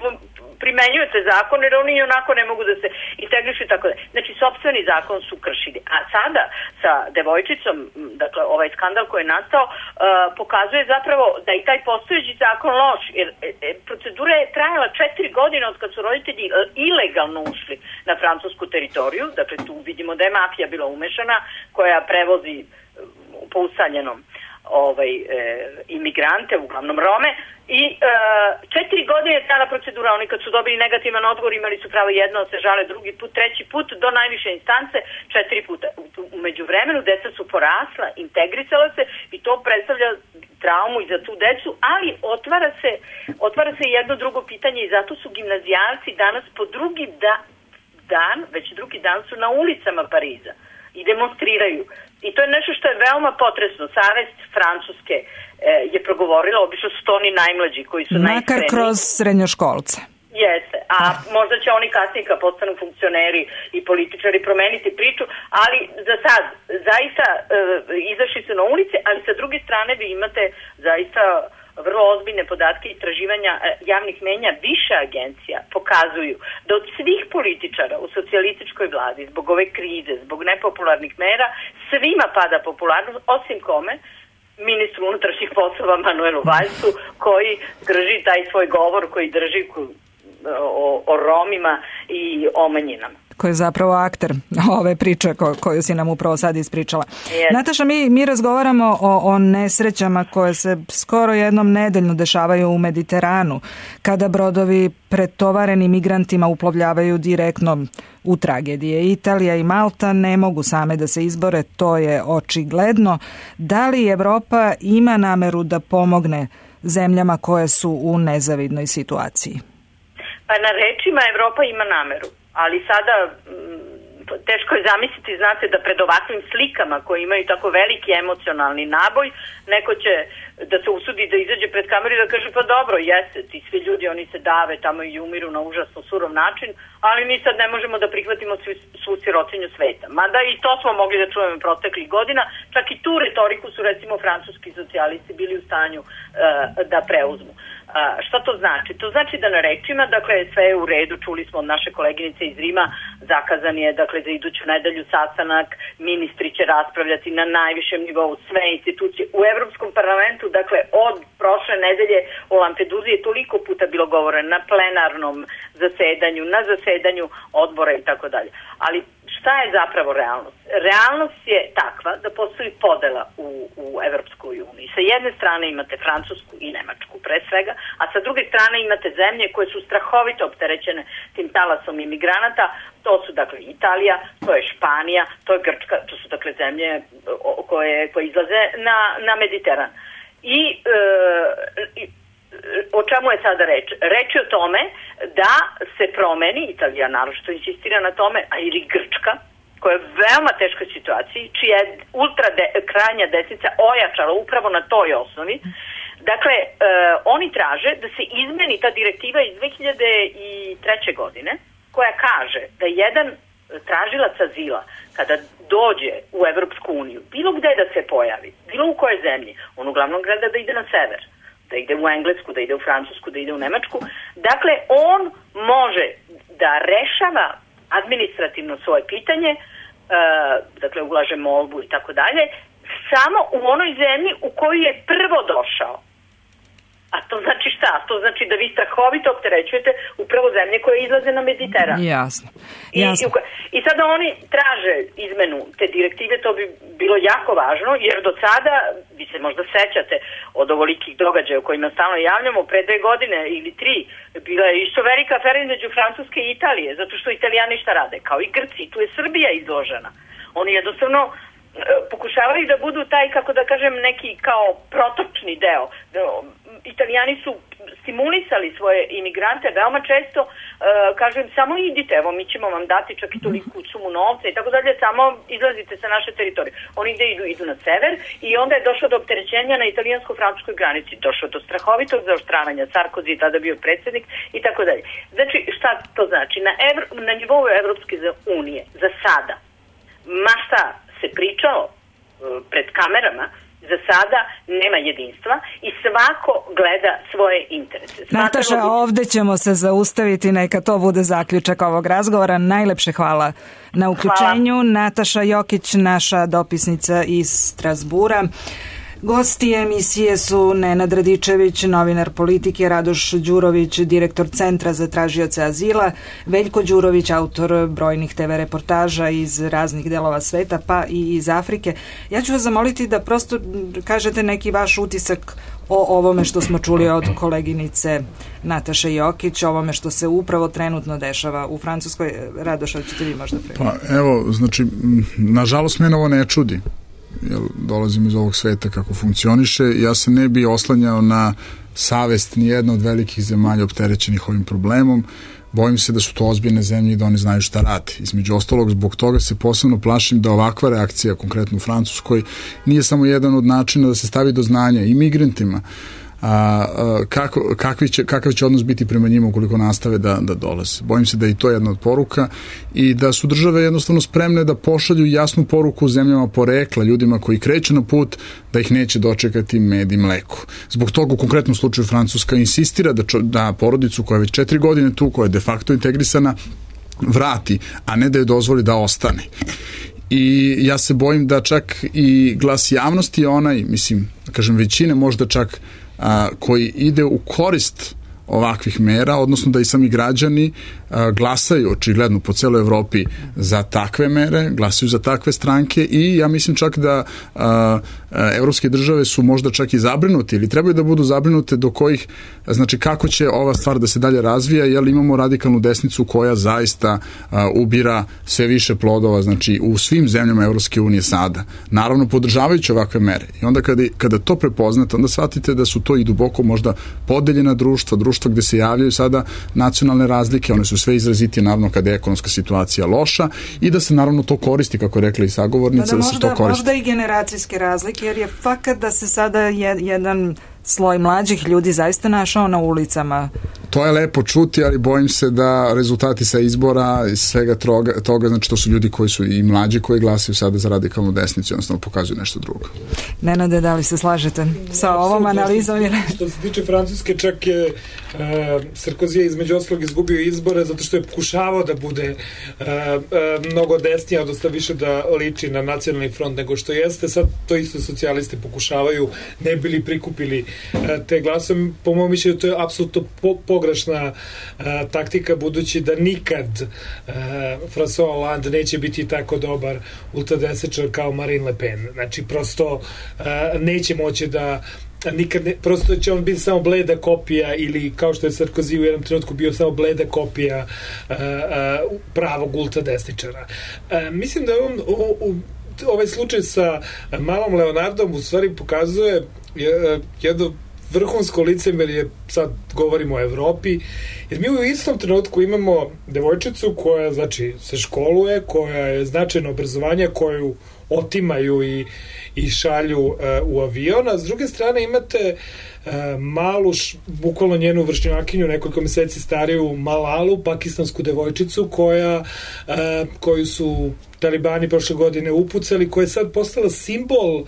primenjujete zakon, jer oni onako ne mogu da se integrišu i tako da. Znači, sopstveni zakon su kršili. A sada, sa devojčicom, dakle, ovaj skandal koji je nastao, pokazuje zapravo da i taj postojeći zakon loš, jer procedura je trajala 4 godine od kad su roditelji ilegalno ušli na francusku teritoriju, dakle, tu vidimo da je mafija bila umešana, koja prevozi po usaljenom imigrante, uglavnom Rome, i 4 godine je trajala procedura. Oni kad su dobili negativan odgovor imali su pravo jedno da se žale, drugi put, treći put, do najviše instance 4 puta. Umeđu vremenu deca su porasla, integrisala se i to predstavlja traumu i za tu decu, ali otvara se jedno drugo pitanje i zato su gimnazijalci danas po drugi već drugi dan su na ulicama Pariza i demonstriraju. I to je nešto što je veoma potresno. Savest Francuske je progovorila, obično su to oni najmlađi koji su najiskreniji. Makar kroz srednjoškolce. Jeste, a možda će oni kasnije kad postanu funkcioneri i političari promeniti priču, ali za sad zaista izašli su na ulice, ali sa druge strane vi imate zaista vrlo ozbiljne podatke i istraživanja javnih mnjenja. Više agencija pokazuju da od svih političara u socijalističkoj vladi zbog ove krize, zbog nepopularnih mera, svima pada popularnost, osim kome? Ministru unutrašnjih poslova Manuelu Vallsu, koji drži taj svoj govor, koji drži o Romima i o manjinama. Koji je zapravo akter ove priče koju si nam upravo sad ispričala. Yes. Nataša, mi razgovaramo o nesrećama koje se skoro jednom nedeljno dešavaju u Mediteranu, kada brodovi pretovareni migrantima uplovljavaju direktno u tragedije. Italija i Malta ne mogu same da se izbore, to je očigledno. Da li Evropa ima nameru da pomogne zemljama koje su u nezavidnoj situaciji? Pa na rečima Evropa ima nameru, ali sada teško je zamisliti, znate, da pred ovakvim slikama koji imaju tako veliki emocionalni naboj, neko će da se usudi da izađe pred kameru i da kaže pa dobro, jeste, ti svi ljudi, oni se dave tamo i umiru na užasno surov način, ali mi sad ne možemo da prihvatimo svu sirotinju sveta. Mada i to smo mogli da čujemo proteklih godina, čak i tu retoriku su recimo francuski socijalisti bili u stanju da preuzmu. Šta to znači? To znači da na rečima, dakle, sve je u redu, čuli smo od naše koleginice iz Rima, zakazan je, dakle, za iduću nedelju sastanak, ministri će raspravljati na najvišem nivou, sve institucije. U Evropskom parlamentu, dakle, od prošle nedelje o Lampeduzi je toliko puta bilo govore na plenarnom zasedanju, na zasedanju odbora i tako dalje. Ali šta je zapravo realnost? Realnost je takva da postoji podela u Evropskoj uniji. Sa jedne strane imate Francusku i Nemačku pre svega, a sa druge strane imate zemlje koje su strahovito opterećene tim talasom imigranata. To su dakle Italija, to je Španija, to je Grčka, to su dakle zemlje koje izlaze na Mediteran. I o čemu je sada reč? Reč je o tome da se promeni, Italija naročito insistira na tome, a ili Grčka, koja je u veoma teškoj situaciji, čija je krajnja desnica ojačala upravo na toj osnovi. Dakle, oni traže da se izmeni ta direktiva iz 2003. godine, koja kaže da jedan tražilac azila, kada dođe u Evropsku uniju, bilo gde da se pojavi, bilo u kojoj zemlji, on uglavnom gleda da ide na sever, da ide u Englesku, da ide u Francusku, da ide u Nemačku. Dakle, on može da rešava administrativno svoje pitanje, dakle, ulaže molbu i tako dalje, samo u onoj zemlji u koju je prvo došao. A to znači šta? To znači da vi strahovito opterećujete upravo zemlje koje izlaze na Mediteran. Jasno. I sada oni traže izmenu te direktive, to bi bilo jako važno, jer do sada, vi se možda sećate od ovolikih događaja o kojima stalno javljamo, pre 2 godine ili 3, bila je isto velika afera između Francuske i Italije, zato što Italijani šta rade? Kao i Grci, tu je Srbija izložena. Oni jednostavno pokušavaju da budu taj, kako da kažem, neki kao protočni deo. Italijani su stimulisali svoje imigrante veoma često, kažem, samo idite, evo mi ćemo vam dati čak i toliku sumu novca i tako dalje, samo izlazite sa naše teritorije. Oni idu na sever i onda je došlo do opterećenja na italijansko-francuskoj granici, došlo do strahovitog zaoštravanja, Sarkozy je tada bio predsjednik i tako dalje. Znači, šta to znači? Na nivou Evropske unije za sada, ma šta se pričalo pred kamerama, za sada nema jedinstva i svako gleda svoje interese. Nataša, ovde ćemo se zaustaviti, neka to bude zaključak ovog razgovora. Najlepše hvala na uključenju. Hvala. Nataša Jokić, naša dopisnica iz Strasbura. Gosti emisije su Nenad Radičević, novinar politike, Radoš Đurović, direktor Centra za tražioce azila, Veljko Đurović, autor brojnih TV reportaža iz raznih delova sveta, pa i iz Afrike. Ja ću vas zamoliti da prosto kažete neki vaš utisak o ovome što smo čuli od koleginice Nataše Jokić, ovome što se upravo trenutno dešava u Francuskoj. Radoš, ćete vi možda prvi? Pa evo, znači, nažalost mene ovo ne čudi. Jer dolazim iz ovog sveta kako funkcioniše, ja se ne bi oslanjao na savest ni jedna od velikih zemalja opterećenih ovim problemom. Bojim se da su to ozbiljne zemlje i da oni znaju šta rade. Između ostalog, zbog toga se posebno plašim da ovakva reakcija, konkretno u Francuskoj, nije samo jedan od načina da se stavi do znanja i migrantima kakav će odnos biti prema njima ukoliko nastave da dolaze. Bojim se da je i to jedna od poruka i da su države jednostavno spremne da pošalju jasnu poruku zemljama porekla, ljudima koji kreću na put, da ih neće dočekati med i mleko. Zbog toga u konkretnom slučaju Francuska insistira da porodicu koja je već 4 godine tu, koja je de facto integrisana, vrati, a ne da je dozvoli da ostane. I ja se bojim da čak i glas javnosti je onaj, mislim, da kažem većine možda čak koji ide u korist ovakvih mera, odnosno da i sami građani glasaju očigledno po celoj Evropi za takve mere, glasaju za takve stranke i ja mislim čak da evropske države su možda čak i zabrinuti ili trebaju da budu zabrinute do kojih, znači kako će ova stvar da se dalje razvija, jer imamo radikalnu desnicu koja zaista ubira sve više plodova, znači u svim zemljama Evropske unije sada, naravno podržavajući ovakve mere. I onda kada to prepoznate, onda shvatite da su to i duboko možda podeljena društva gde se javljaju sada nacionalne razlike, one su sve izrazitije naravno kada je ekonomska situacija loša i da se naravno to koristi, kako je rekla i sagovornica, da se to koristi. Možda i generacijske razlike, jer je fakat da se sada jedan sloj mlađih ljudi zaista našao na ulicama To je lepo čuti, ali bojim se da rezultati sa izbora i svega toga, znači to su ljudi koji su i mlađi koji glasaju sada za radikalnu desnicu, jednostavno pokazuju nešto drugo. Nenade, da li se slažete sa ovom analizom? Što se tiče Francuske, čak je Sarkozy je između ostalog izgubio izbore zato što je pokušavao da bude mnogo desnije, odnosno više da liči na nacionalni front nego što jeste. Sad to isto socijalisti pokušavaju, ne bili prikupili te glasove. Po mojom mišljenju to je apsolutno pogrešna taktika, budući da nikad François Hollande neće biti tako dobar ultradesničar kao Marine Le Pen. Znači, prosto neće moći da nikad ne, prosto će on biti samo bleda kopija, ili kao što je Sarkozy u jednom trenutku bio samo bleda kopija pravog ultradesničara. Mislim da ovaj slučaj sa malom Leonardom u stvari pokazuje jedno vrhunsko licemerje, sad govorimo o Evropi, jer mi u istom trenutku imamo devojčicu koja, znači, se školuje, koja je značajno obrazovanje, koju otimaju i šalju u avion, a s druge strane imate malu, bukvalno njenu vršnjakinju, nekoliko meseci stariju Malalu, pakistansku devojčicu koju su talibani prošle godine upucali, koja je sad postala simbol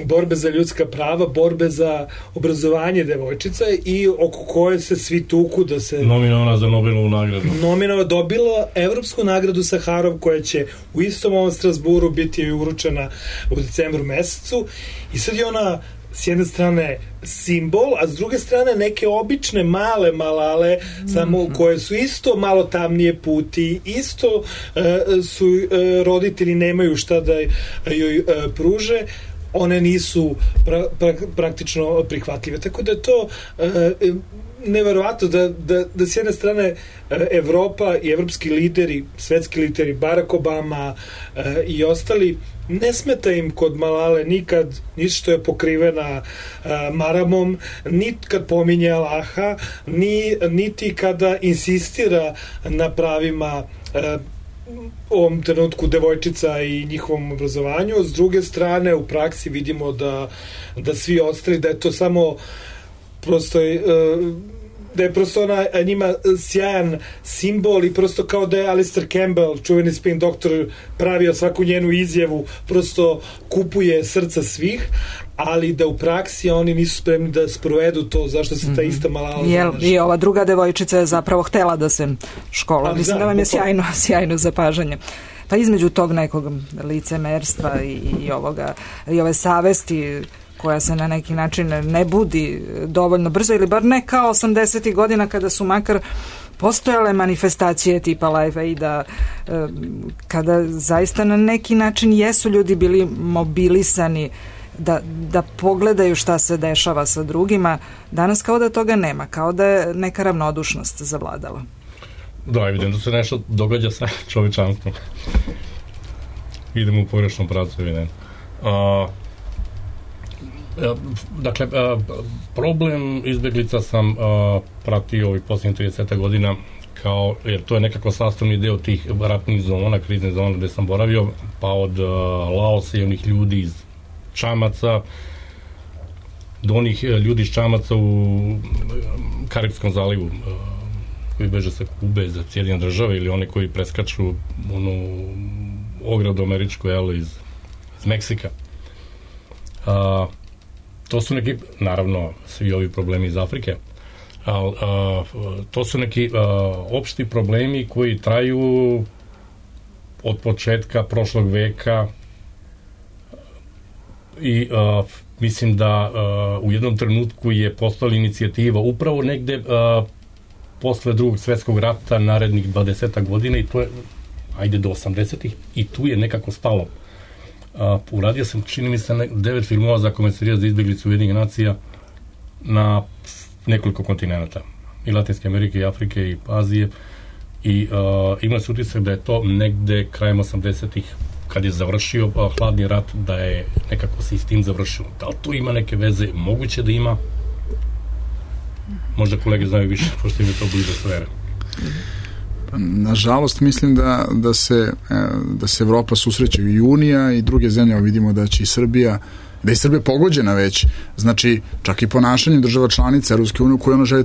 borbe za ljudska prava, borbe za obrazovanje devojčica i oko koje se svi tuku da se... Nominovana za Nobelovu nagradu. Nominovana, dobila evropsku nagradu Saharov, koja će u istom ovom Strasburu biti uručena u decembru mesecu, i sad je ona s jedne strane simbol, a s druge strane neke obične male Malale, samo koje su isto malo tamnije puti, isto su roditelji nemaju šta da joj pruže, one nisu praktično prihvatljive. Tako da je to neverovatno da s jedne strane Evropa i evropski lideri, svetski lideri, Barack Obama i ostali, ne smeta im kod Malale nikad ništa što je pokrivena maramom, niti kad pominje Allaha, niti kada insistira na pravima u ovom trenutku devojčica i njihovom obrazovanju. S druge strane, u praksi vidimo da svi ostali, da je to samo prosto da je prosto ona njima sjajan simbol, i prosto kao da je Alistair Campbell, čuveni spin doktor, pravio svaku njenu izjavu, prosto kupuje srca svih, ali da u praksi oni nisu spremni da sprovedu to zašto se ta ista Malala zanaša. I ova druga devojčica je zapravo htela da se škola. Mislim da vam je sjajno zapažanje. Pa između tog nekog licemerstva i ove savesti koja se na neki način ne budi dovoljno brzo, ili bar ne kao 80. godina kada su makar postojale manifestacije tipa Live Aida, kada zaista na neki način jesu ljudi bili mobilisani da pogledaju šta se dešava sa drugima. Danas kao da toga nema, kao da je neka ravnodušnost zavladala. Da, evidentno se nešto događa sa čovečanstvom. Idemo u pogrešnom pravcu, evidentno. Dakle, problem izbeglica sam pratio ovih posljednjih 30 godina, jer to je nekako sastavni deo tih ratnih zona, kriznih zona gde sam boravio, pa od Laosa i onih ljudi iz Čamaca do onih ljudi iz Čamaca u Karibskom zalivu, koji beže sa Kube za Sjedinjene države, ili one koji preskaču onu ogradu američku iz Meksika. To su neki, naravno, svi ovi problemi iz Afrike, ali to su neki opšti problemi koji traju od početka prošlog veka, i mislim da u jednom trenutku je postala inicijativa upravo negde posle Drugog svetskog rata, narednih 20 godina, i to je, ajde, do 80-ih, i tu je nekako stalo. Uradio sam, čini mi se, 9 filmova za Komesarijat za izbeglice Ujedinjenih nacija na nekoliko kontinenta, i Latinske Amerike, i Afrike, i Azije, i ima se utisak da je to negde krajem 80-ih, kad je završio hladni rat, da je nekako se i s tim završilo. Da li tu ima neke veze? Moguće da ima. Možda kolege znaju više, pošto im je to bliže sfere. Nažalost, mislim da se Evropa susreće i Unija i druge zemlje, vidimo da će i Srbija da je Srbija pogođena već, znači čak i ponašanjem država članica Evropske unije u koju ona želi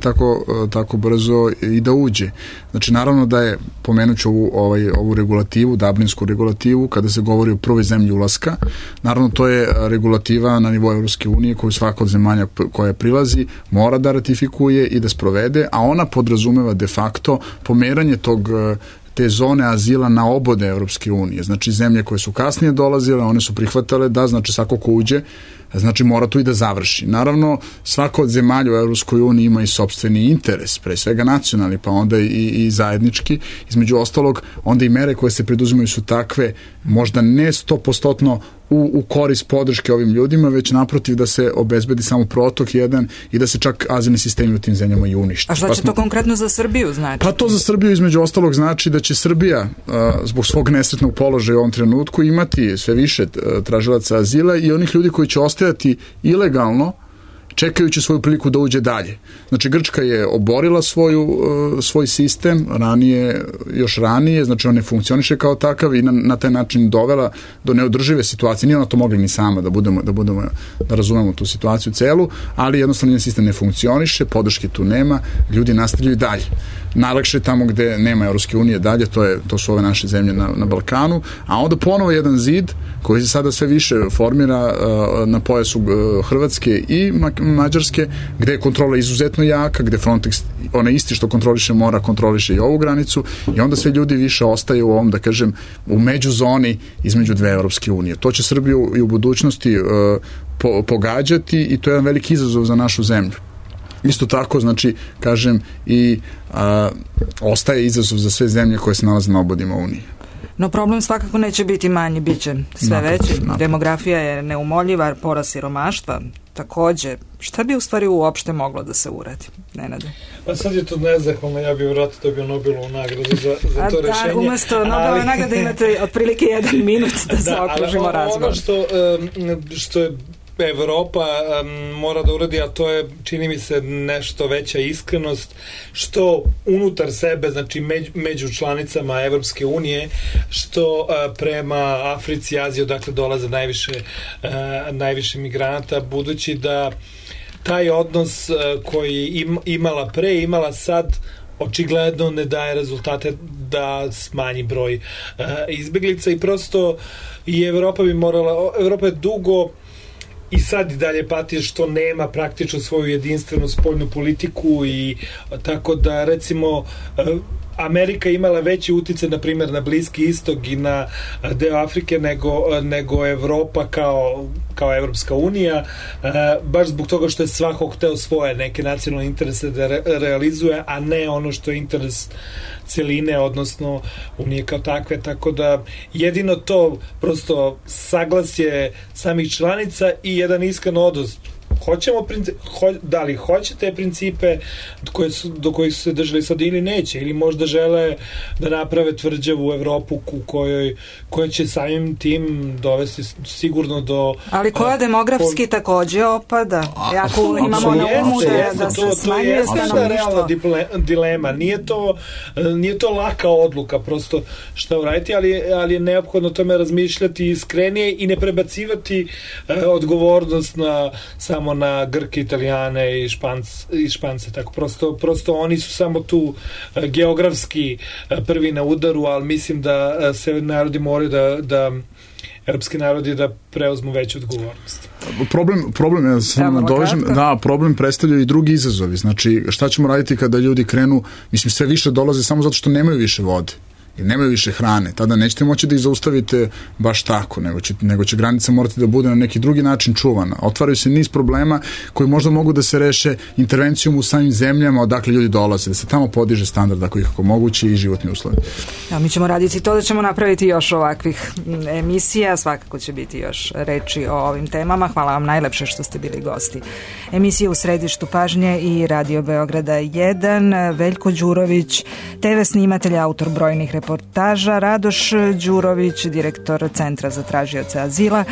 tako brzo i da uđe. Znači naravno da je, pomenuću ovu regulativu, Dublinsku regulativu, kada se govori o prvoj zemlji ulaska, naravno to je regulativa na nivou Evropske unije koju svaka od zemalja koja prilazi mora da ratifikuje i da sprovede, a ona podrazumeva de facto pomeranje te zone azila na obode Evropske unije. Znači zemlje koje su kasnije dolazile, one su prihvatale da, znači svako ko uđe, znači mora tu i da završi. Naravno, svako od zemalja u Evropskoj uniji ima i sopstveni interes, pre svega nacionalni, pa onda i zajednički. Između ostalog, onda i mere koje se preduzimaju su takve, možda ne 100% u korist podrške ovim ljudima, već naprotiv da se obezbedi samo protok jedan i da se čak azilni sistemi u tim zemljama i unište. A šta će to konkretno za Srbiju znači? Pa to za Srbiju između ostalog znači da će Srbija zbog svog nesretnog položaja u ovom trenutku imati sve više tražilaca azila i onih ljudi koji će ostajati ilegalno čekajući svoju priliku da uđe dalje. Znači Grčka je oborila svoj sistem još ranije, znači on ne funkcioniše kao takav i na taj način dovela do neodržive situacije. Nije ona to mogla ni sama da razumemo tu situaciju celu, ali jednostavno njen sistem ne funkcioniše, podrške tu nema, ljudi nastavljaju dalje. Najlakše je tamo gde nema Evropske unije dalje, to su ove naše zemlje na Balkanu, a onda ponovo jedan zid koji se sada sve više formira na pojasu Hrvatske i Mađarske, gde je kontrola izuzetno jaka, gde Frontex, onaj isti što kontroliše mora, kontroliše i ovu granicu i onda sve ljudi više ostaje u ovom, da kažem, u međuzoni između dve Evropske unije. To će Srbiju i u budućnosti pogađati i to je jedan veliki izazov za našu zemlju. Isto tako, znači, kažem, i ostaje izazov za sve zemlje koje se nalaze na obodima Unije. No problem svakako neće biti manji, bit će sve veći. Demografija je neumoljiva, porast siromaštva takođe. Šta bi u stvari uopšte moglo da se uradi, Nenade? Pa sad je to nezahvalno, ja bih vratno dobio Nobelovu nagradu za to rešenje. Umesto Nobelove nagrade imate otprilike 1 minut da zaokružimo razgovor. Ono što je Evropa mora da uradi, a to je, čini mi se, nešto veća iskrenost, što unutar sebe, znači među članicama Evropske unije, što prema Africi i Aziji, odakle dolaze najviše migranata, budući da taj odnos koji imala pre, imala sad, očigledno ne daje rezultate da smanji broj izbeglica i prosto i Evropa je dugo i sad i dalje pati što nema praktično svoju jedinstvenu spoljnu politiku i tako da recimo Amerika imala veći uticaj na primjer na Bliski istok i na deo Afrike nego Evropa kao Evropska unija, baš zbog toga što je svako hteo svoje neke nacionalne interese da realizuje, a ne ono što je interes celine, odnosno Unije kao takve, tako da jedino to prosto saglasje samih članica i jedan iskren odnos. Da li hoće te principe do kojih su se držali sad ili neće, ili možda žele da naprave tvrđavu u Evropu koja će samim tim dovesti sigurno do... Ali koja demografski takođe opada. Ako imamo na umu da se smanjuje stanovništvo. To je realna dilema. Nije to laka odluka prosto šta uraditi, ali je neophodno tome razmišljati iskrenije i ne prebacivati odgovornost samo na Grke, Italijane i Špance. Tako prosto oni su samo tu geografski prvi na udaru, ali mislim da se narodi moraju da evropski narodi da preuzmu veću odgovornost. Problem, ja se nadovežem, da, problem predstavljaju i drugi izazovi. Znači, šta ćemo raditi kada ljudi krenu, mislim, sve više dolaze samo zato što nemaju više vode i nemaju više hrane, tada nećete moći da ih zaustavite baš tako, nego će granica morati da bude na neki drugi način čuvana. Otvaraju se niz problema koji možda mogu da se reše intervencijom u samim zemljama odakle ljudi dolaze, da se tamo podiže standard ako ikako moguće i životni uslovi. Ja, mi ćemo raditi to da ćemo napraviti još ovakvih emisija, svakako će biti još reči o ovim temama. Hvala vam najlepše što ste bili gosti emisije U središtu pažnje i Radio Beograda 1, Veljko Đurović, TV snimatelj, autor brojnih reportaža, Radoš Đurović, direktor Centra za tražioce azila,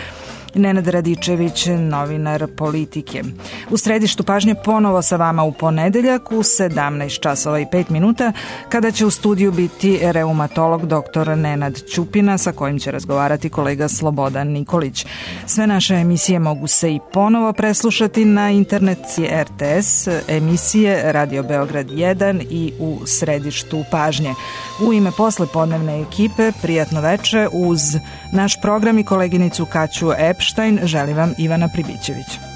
Nenad Radičević, novinar Politike. U središtu pažnje ponovo sa vama u ponedeljak u 17 časova i 5 minuta, kada će u studiju biti reumatolog dr. Nenad Ćupina, sa kojim će razgovarati kolega Slobodan Nikolić. Sve naše emisije mogu se i ponovo preslušati na internetci RTS, emisije Radio Beograd 1 i u središtu pažnje. U ime poslepodnevne ekipe, prijatno veče uz naš program i koleginicu Kaću Epštajn, želim vam Ivana Pribićević.